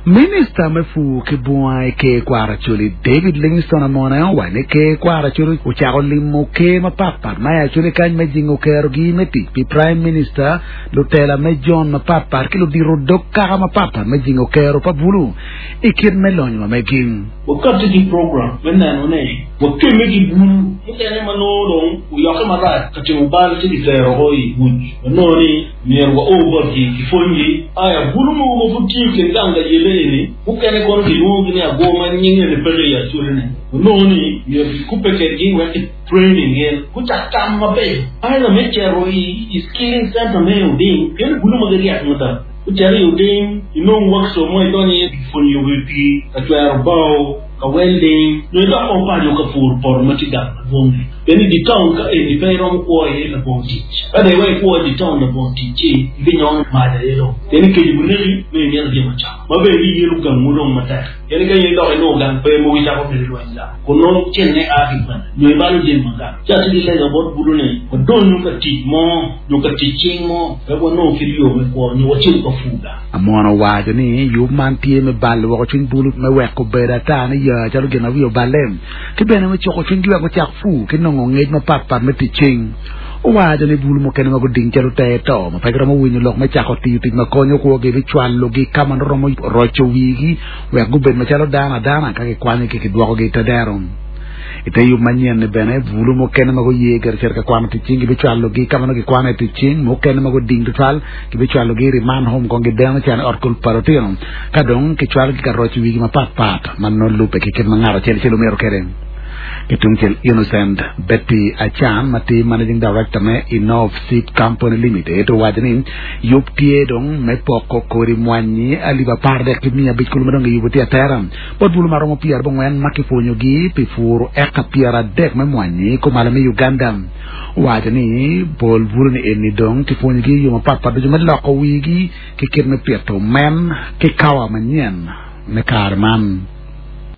Minista me pur ki bunga i Ker Kwaro Acholi, David Livingstone Amone owaco ni Ker Kwaro Acholi ocako limo ker mapatpat ma i Acholi kany me jingo kerogi me tic pi Prime Minister, lutela me jon mapatpat ki ludito dog kaka mapatpat me jingo kero pa bulu i kit me lonyo ma megi. Wakati ki program me neno ni wakemme ki bulu mukene ma nongo dong oyokke marac ka timo bal ci kitero oko i buc. Wanongo ni myero wao botgi kipwonygi. Aya, bulu mogo ma pud tye i kin gang ka yelle eni, mukene kono kilwongogi ni agwo ma nyinge ni peke i acolone. Wanongo ni myero kikubbe kedgi wek ki training gin gucak tam mabeco. Either me cito i skilling center me Oding, pien bulu ma giryek mada. Gucito i Oding, inong workshop mo idonyo iye pwonyo yubo i pii, ka cwero bao, ka welding, nyo idok kong paco ka puro poto ma tye gang madwong-ngi. Pien i dye taun ka eni pe iromo kwo iye labongo tic. Ka dong iweko ikwo i dye taun labongo tic ci ibinyongo mac aye dong. Pien i kec buneki nongo imito jami acama ma bene giyelo gangwu dong matek. Pien ka in idok inongo gang pe mogo icako bedo i lweny gang kun nongo cente a ki kwene nyo ibalo jami ma gang. Ci atye ki lega bot bulu ni wadonyu ka tic mo nyo ka tic cing mo wek wanong kit yo me kwo nyo wacit ka pur gang. Amon owaco ni yub man tye me balo woko cwiny bulu me weko bedo ata ni ya calo gin ma wiye oballe. ki bene me cuko cwinygi wek gucak pur ki nongo ngec mapatpat me tic cing. Owaco ni bulu mukene ma guding calo ter to ma pe giromo winyo lok me cako tiyo tic ma konyo kwogi bicwalogi ka ma nongo romo roco wigi wek gubed macalo dano adana ka kikwanyogi kidwokogi i te dero. I te yub manyen-ni bene, bulu mukene ma guye gire cito ka kwano tic cing gibicwalogi ka ma nongo gikwano iye tic cing, mukene ma guding tutwal gibicwalogi i remand home kong gideno can i ot kul pa lutino. Ka dong kicwalogi ka roco wigi mapatpat ma nongo lubbe ki kit ma ngat acel acel omito kwede. Ki tungcel, Innocent Betty Achan ma tye Managing Director me Innov Seed Company Limited owaco ni yub tye dong me poko kodi mwanyi alip 13 ki 500 kulu ma dong giyubo tye atera bot bulu ma romo pyerabongwen ma kipwonyogi pi puru eka 30 me mwanyi kumalo me Uganda. Owaco ni pol bulu ni eni dong kipwonyogi i yo mapatpat ducu me loko wigi ki kit me pito omen ki kawa manyen me kare man.